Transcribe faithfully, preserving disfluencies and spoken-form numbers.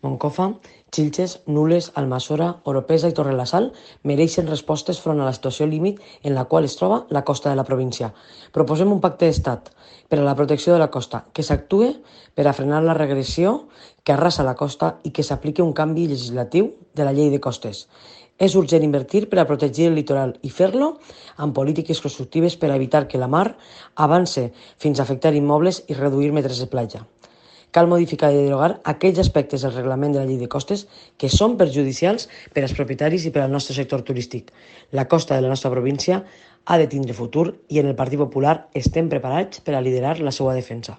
Moncofa, Xilxes, Nules, Almassora, Oropesa i Torrelasal mereixen respostes front a la situació límit en la qual es troba la costa de la província. Proposem un pacte d'estat per a la protecció de la costa, que s'actue per a frenar la regressió que arrasa la costa i que s'apliqui un canvi legislatiu de la llei de costes. És urgent invertir per a protegir el litoral i fer-lo amb polítiques constructives per a evitar que la mar avance fins a afectar immobles i reduir metres de platja. Cal modificar i derogar aquells aspectes del reglament de la llei de costes que són perjudicials per als propietaris i per al nostre sector turístic. La costa de la nostra província ha de tindre futur i en el Partit Popular estem preparats per a liderar la seva defensa.